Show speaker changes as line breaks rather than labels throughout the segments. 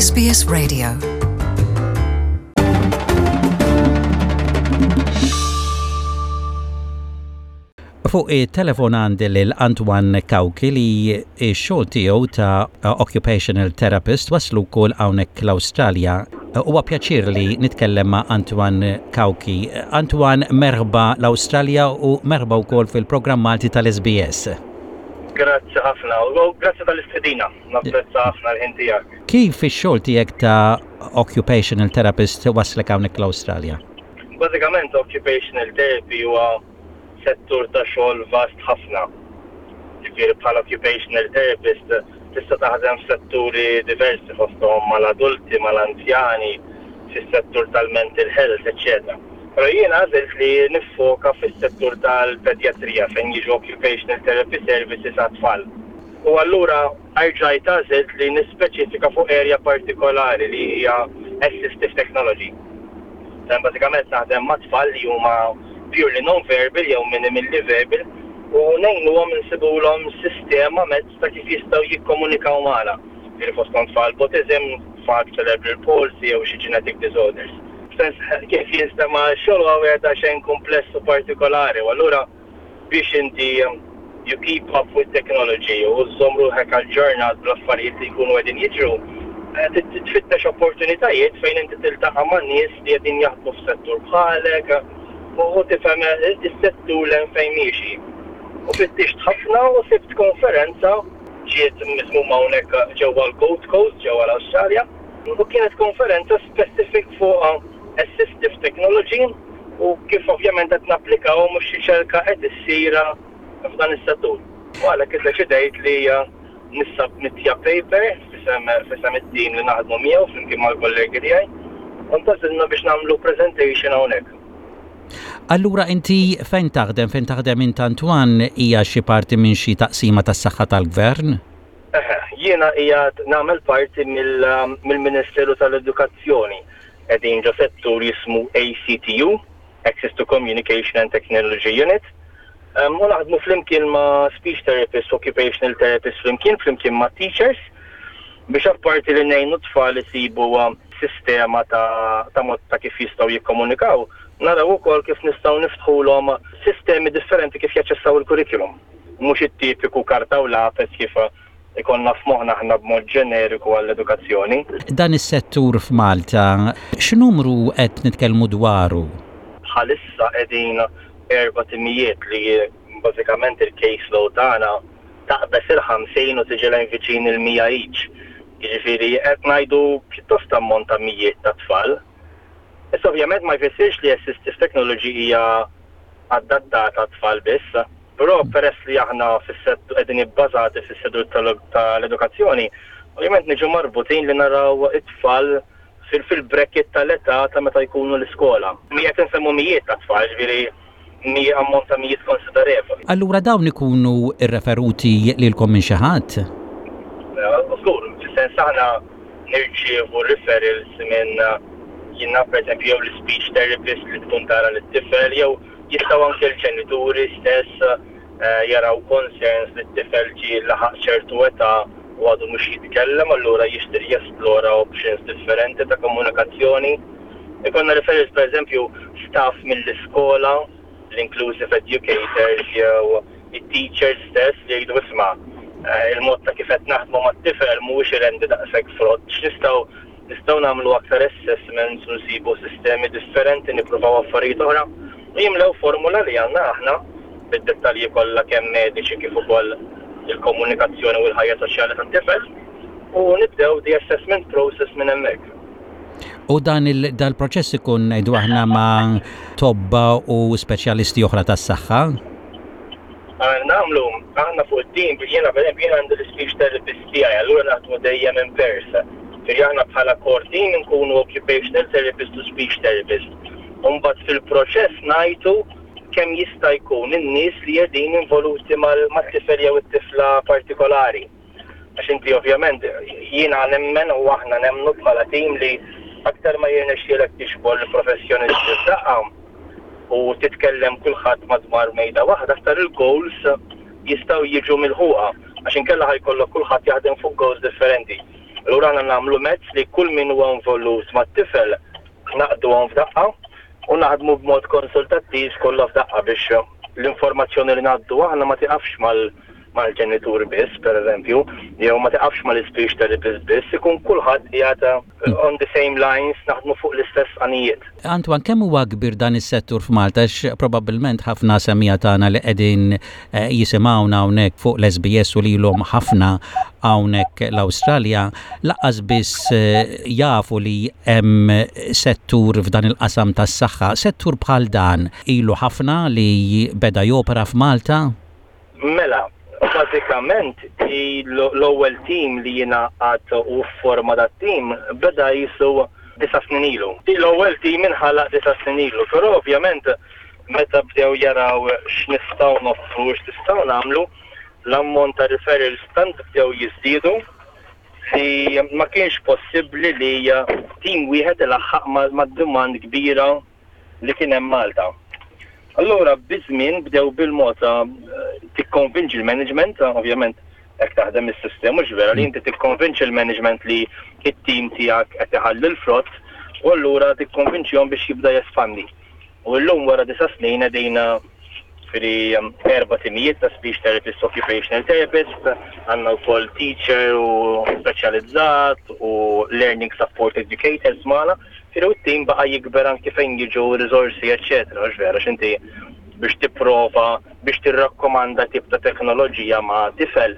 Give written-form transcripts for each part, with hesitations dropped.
SBS Radio. Fuq it-telefon għandi lil Antoine Cauchi li x-xogħol tiegħu ta' occupational therapist waslu wkoll hawnhekk l-Awstralja. Huwa pjaċir li nitkellem ma' Antoine Cauchi. Antoine, merħba l-Awstralja u merħba wkoll fil-programm Malti tal-SBS.
Grazzi ħafna u grazzi tal-istedina. Napprezza ħafna l-ħin tiegħek.
Kif ix-xogħol tiegħek ta' occupational therapist waslek hawnhekk l-Awstralja?
Bażikament occupational therapy huwa settur ta' xogħol vast ħafna. Ġifieri bħala occupational therapist tista' taħdem f'setturi diversi fosthom mal-adulti, mal-anzjani, fis-settur tal-mental health, eċċetera. Però jien għażilt li niffoka fis-settur tal-pedjatrija fejn jiġu occupational therapy services għat-tfal. U allura erġajt għażilt li nispeċifika fuq area partikolari li hija assistive technology. Fejn bażikament naħdem ma' tfal li huma purely non-verbal jew minimally verbal u ngħinuhom insibulhom sistema mezz ta' kif jistgħu jikkomunikaw magħna. Jiġifieri fosthom tfal b'autism, tfal b'cerebral palsy jew xi genetic disorders. F'sens kif jinstema' x-xogħol huwa wieħed daqsxejn kumpless u partikolari u allura biex inti you keep up with technology u żżomm ruħek aġġornat bl-affarijiet li jkunu qegħdin jiġru, tfittex opportunitajiet fejn inti tiltaqa' ma' nies li qegħdin jaħdmu f'settur bħalek u tifhem is-settur 'l hemm fejn miexi. U fittixt ħafna u sibt konferenza ġiet miżmuma hawnhekk ġewwa l-Gold Coast ġewwa l-Awstralja u kienet konferenza specific fuq assistive technology u kif ovvjament qed napplikawhom u x'riċerka qed issir f'dan is-settur. U għalhekk iddeċidejt li nissubmittja paper f'isem f'isem it-tim li naħdmu miegħu flimkien mal-kollegi tiegħi u ntgħażilna biex nagħmlu presentation hawnhekk.
Allura inti fejn taħdem? Fejn taħdem int Antoine hija xi parti minn xi taqsima tas-saħħa tal-gvern?
Eħe, jiena qiegħed nagħmel parti mill-Ministeru tal-Edukazzjoni. Qegħdin ġo settur jismu ACTU, Access to Communication and Technology Unit, u naħdmu flimkien ma' speech therapists, occupational therapists flimkien, flimkien ma' teachers, biex apparti li ngħinu t-tfal isibu sistema ta' ta' mod ta' kif jistgħu jikkomunikaw, naraw ukoll kif nistgħu niftħulhom sistemi differenti kif jaċċessaw il-curriculum. Mhux it-tipiku karta u lapes kif ikollna f'moħħna aħna b'mod ġeneriku għall-edukazzjoni.
Dan is-settur f'Malta, x'numru qed nitkellmu dwaru?
Bħalissa qegħdin erba' timijiet li bażikament il-case load tagħna taqbeż il-50 u tiġi lejn viċin il-100 each. Jiġifieri qed ngħidu pjuttost ammont ta' mijiet ta' tfal. Issa ovvjament ma jfissirx li assistive technology hija adattata għat-tfal biss. Però peress li aħna fis-settur qegħdin ibbażati fis-settur tal-edukazzjoni, ovvjament niġu marbutin li naraw it-tfal fil-bracket tal-età ta' meta jkunu l-iskola. Qed insemmu mijiet ta' tfal, ġifieri ammont ta' mijiet konsiderevoli.
Allura dawn ikunu rreferuti lilkom minn xi ħadd?
Żgur, fis-sens aħna nirċievu referrals minn jien naf pereżempju jew l-ispeech therapist li tkun tara lit-tifel jew Jistgħu anke l-ġenituri stess jaraw concerns li t-tifel ġie laħaq ċertu età u għadu mhux jitkellem allura jixtieq jesplora options differenti ta' komunikazzjoni. Ikollna referrals pereżempju staff mill-iskola, l-inclusive educators jew it-teachers stess li jgħidu isma' il-mod ta' kif qed naħdmu mat-tifel mhuwiex irendi daqshekk frott, x'nistgħu Nistgħu nagħmlu aktar assessments u nsibu sistemi differenti nippruvaw affarijiet oħra u jimlew formula li għandna aħna bid-dettalji kollha kemm mediċi kif ukoll il-komunikazzjoni u l-ħajja soċjali tat-tifel u nibdew the assessment process minn hemmhekk.
U dan il-proċess ikun ngħidu aħna ma' tobba u speċjalisti oħra tas-saħħa?
Nagħmlu aħna fuq it-tim, jiena pereżempju jien għandi l-ispeech therapist tiegħi, allura naħdmu dejjem in pairs. Ġifieri aħna bħala core team inkunu occupational therapist u speech therapist. U mbagħad fil-proċess ngħajtu kemm jista' jkun in-nies li qegħdin involuti mat-tifel jew it-tifla partikolari. Għax inti ovvjament jiena nemmen u aħna nemmnu bħala team li aktar ma jirnexxielek tiġbor l-professjonisti f'daqqa u titkellem kulħadd madwar mejda waħda aktar il-goals jistgħu jiġu milħuqa għax inkella ħa jkollok kulħadd jaħdem fuq goals differenti. Allura aħna nagħmlu mezz li kull min huwa involut mat-tifel naqduhom f'daqqa u naħdmu b'mod konsultattiv kollha f'daqqa biex l-informazzjoni li ngħaddu aħna ma tiqafx mal mal-ġenitur biss, per eżempju, jew ma tiqafx mal-ispeech therapist biss, ikun kulħadd qiegħed on the same lines, naħdmu fuq l-istess għanijiet.
Antoine, kemm huwa kbir dan is-settur f'Malta għax probabbilment ħafna semmiegħa tagħna li qegħdin eh, jisimgħuna hawnhekk fuq l-SBS u lilhom ħafna hawnhekk l-Awstralja laqas biss eh, jafu li hemm settur f'dan il-qasam tas-saħħa. Settur bħal dan ilu ħafna li beda jopera f'Malta?
Mela, bażikament l-ewwel team li jingħaqad u fforma dat-team beda qisu disa' snin ilu. L-ewwel team inħalaq disa' snin ilu, però ovvjament meta bdew jaraw x'nistgħu noffru u x'nistgħu nagħmlu, l-ammont ta' referrals tant bdew jiżdiedu li ma kienx possibbli li team wieħed ilaħħaq mad-demand kbira li kien hemm Malta. Allura biż-żmien bdew bil-mod tikkonvinċi l-management, ovvjament hekk taħdem is-sistema mhux vera li inti tikkonvinċi l-management li t-tim tiegħek qed iħalli l-frott u allura tikkonvinċihom biex jibda jespandi. U llum wara disa' snin qegħdin ġifieri erba' timijiet ta' speech therapist, occupational therapist, għandna wkoll teacher u speċjalizzat u learning support educators magħna. Ġifieri u t-tim baqa' jikber anki fejn jiġu riżorsi eċċetera, hux vera għax inti biex tipprova biex tirrakkomanda tip ta' teknoloġija ma' tifel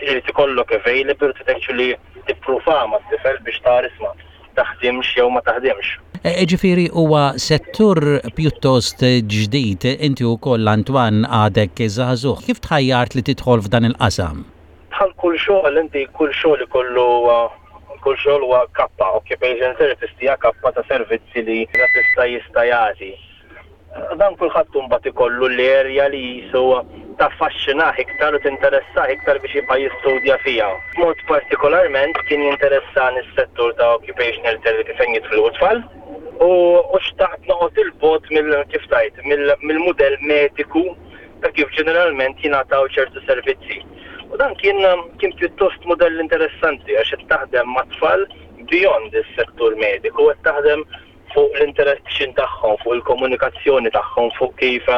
irid ikollok available trid actually tippruvaha mat-tifel biex tara isma' taħdimx jew ma taħdimx.
Jiġifieri huwa settur pjuttost ġdid, inti wkoll Antoine għadek żagħżugħ, kif tħajjart li tidħol f'dan il-qasam?
Bħal kull xogħol inti kull xogħol ikollu kull xogħol huwa kappa, occupational therapist hija kappa ta' servizzi li terapista jista' jagħti. Dan kulħadd imbagħad ikollu l-area li qisu taffaxxinah iktar u tinteressah iktar biex jibqa' jistudja fiha. B'mod partikolarment kien jinteressani s-settur ta' occupational therapy fejn jidħlu t-tfal u xtaqt noqgħod 'il bogħod mill kif tgħid mill-mudell mediku ta' kif ġeneralment jingħataw ċertu servizzi. U dan kien kien pjuttost mudell interessanti għax qed taħdem mat-tfal beyond is-settur mediku, qed taħdem fuq l-interaction tagħhom, fuq il-komunikazzjoni tagħhom, fuq kif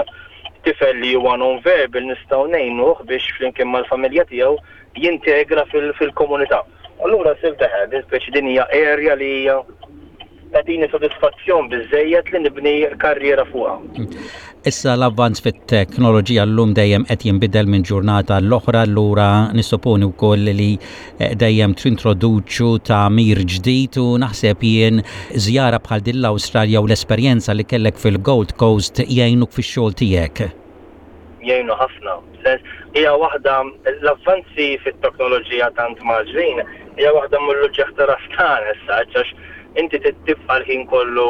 tifel li huwa non-verbal nistgħu ngħinuh biex flimkien mal-familja tiegħu jintegra fil-komunità. Allura sirt eħe, din speċi din hija area li hija tagħtini sodisfazzjon biżejjed li nibni karriera fuqha.
Issa l-avvanz fit-teknoloġija llum dejjem qed jinbidel minn ġurnata l-oħra, allura nissoponi wkoll li eh, dejjem trintroduċu tagħmir ġdid u naħseb jien żjara bħal din l-Awstralja u l-esperjenza li kellek fil-Gold Coast jgħinuk fix-xogħol tiegħek.
Jgħinu ħafna. Sens, hija waħda l-avvanzi fit-teknoloġija tant mgħaġġlin hija waħda mill-uġigħ ta' ras tagħna issa għax inti trid tibqa' l-ħin kollu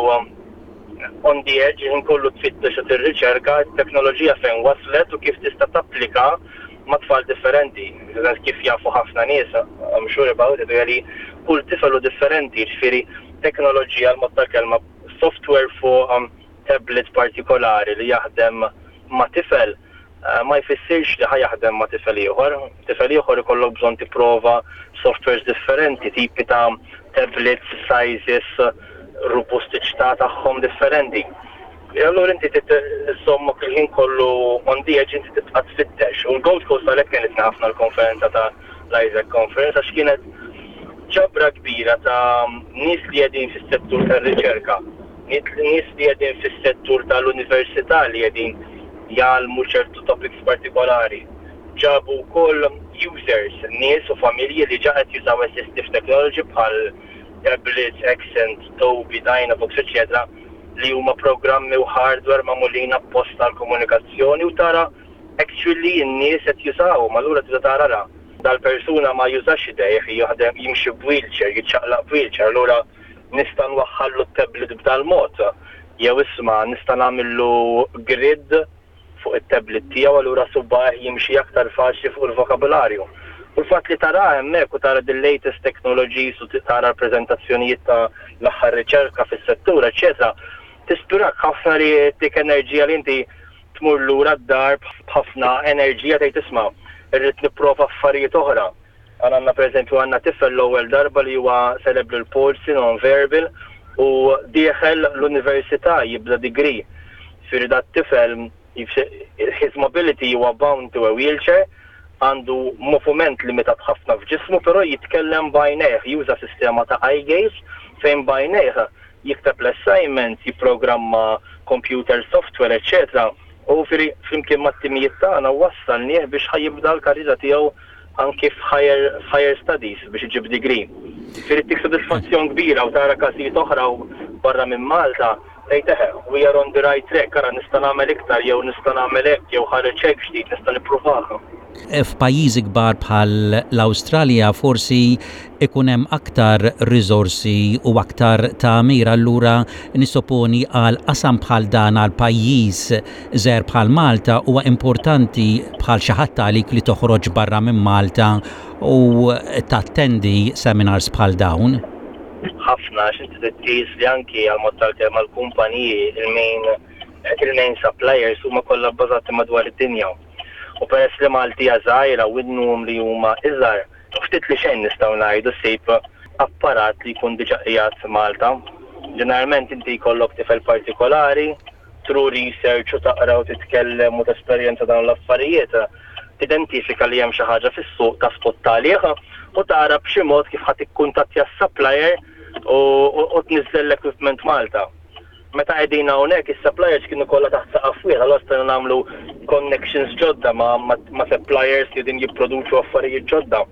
on the edge, il-ħin kollu tfittex u tirriċerka t-teknoloġija fejn waslet u kif tista' tapplika ma' tfal differenti. Sens kif jafu ħafna nies, I'm sure about it, li kull tifel hu differenti, jiġifieri teknoloġija l-mod tal-kelma software fuq tablet partikolari li jaħdem ma' tifel ma jfissirx li ħa jaħdem ma' tifel ieħor. Tifel ieħor ikollok bżonn tipprova softwares differenti, tipi ta' tablets, sizes, robustiċità tagħhom differenti. E allura inti trid iżżommok il-ħin kollu on the edge inti tibqa' tfittex. U l-Gold Coast għalhekk kienet ħafna l-konferenza ta' l-Isaac Conference għax kienet ġabra kbira ta' nies li qegħdin fis-settur tar-riċerka Nies li qegħdin fis-settur tal-università li qegħdin jgħallmu ċertu topics partikolari. Ġabu wkoll users, nies u familji li ġa qed jużaw assistive technology bħal tablets, Accent, Tobii, Dynavox, eċċetera li huma programmi u hardware magħmulin apposta għall-komunikazzjoni u tara actually n-nies qed jużawhom allura tibda tara ara dal-persuna ma jużax idejh jaħdem jimxi b'wheelchair, jiċċaqlaq b'wheelchair allura Nista' nwaħħallu t-tablet b'dal-mod? Jew isma' nista' nagħmillu grid fuq it-tablet tiegħu allura subgħajh jimxi aktar faċli fuq il-vokabularju. U l-fatt li taraha hemmhekk u tara the latest technologies u tara l-preżentazzjonijiet ta' l-aħħar riċerka fis-settur eċċetera tispirak ħafna li ttik enerġija li inti tmur lura d-dar b'ħafna enerġija tgħid isma' irrid nipprova affarijiet oħra. Għandna pereżempju għandna tifel l-ewwel darba li huwa cerebral palsy non-verbal u dieħel l-università jibda degree. Ġifieri dat-tifel his mobility huwa bound to a wheelchair, għandu moviment limitat ħafna f'ġismu però jitkellem b'għajnejh, juża sistema ta' eye gaze fejn b'għajnejh jikteb l-assignments, jipprogramma computer software eċċetera U ġifieri flimkien mat-timijiet tagħna wassalnieh biex ħa jibda l-karriera tiegħu anki f'higher f'higher studies biex iġib degree. Ġifieri ttik sodisfazzjon kbira u tara każijiet oħra u barra minn Malta tgħid eħe, we are on the right track, ara nista' nagħmel iktar jew nista' nagħmel hekk jew ħareġ hekk ġdid nista' nippruvah.
F'pajjiżi kbar bħal l-Awstralja forsi ikun hemm aktar riżorsi u aktar tagħmir allura nissoponi għal qasam bħal dan għal pajjiż żgħir bħal Malta huwa importanti bħal xi ħadd għalik li toħroġ barra minn Malta u tattendi seminars bħal dawn.
Ħafna għax inti trid tqis li anki għall-mod tal-kelma l-kumpaniji il-main il-main suppliers huma kollha bbażati madwar id-dinja. U peress li Malti hija żgħira u n-numri huma iżgħar, ftit li xejn nistgħu ngħidu ssib apparat li jkun diġà qiegħed Malta. Ġeneralment inti jkollok tifel partikolari, through research u taqra u titkellem u tesperjenza dawn l-affarijiet, tidentifika li hemm xi ħaġa fis-suq taf tgħodd għalih u tara b'xi mod kif ħa tikkuntattja s-supplier u tniżżel l-equipment Malta. Meta qegħdin hawnhekk is-suppliers kienu kollha taħt saqaf wieħed, allura stajna nagħmlu connections ġodda ma' ma' suppliers li qegħdin jipproduċu affarijiet ġodda.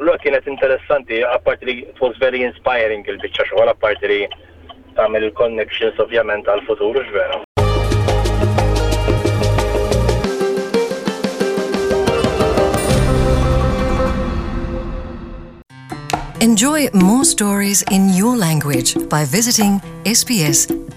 Allura kienet interessanti, apparti li it was very inspiring il-biċċa xogħol, apparti li tagħmel il-connections ovvjament għall-futur, hux vera?
Enjoy more stories in your language by visiting sbs.com.au.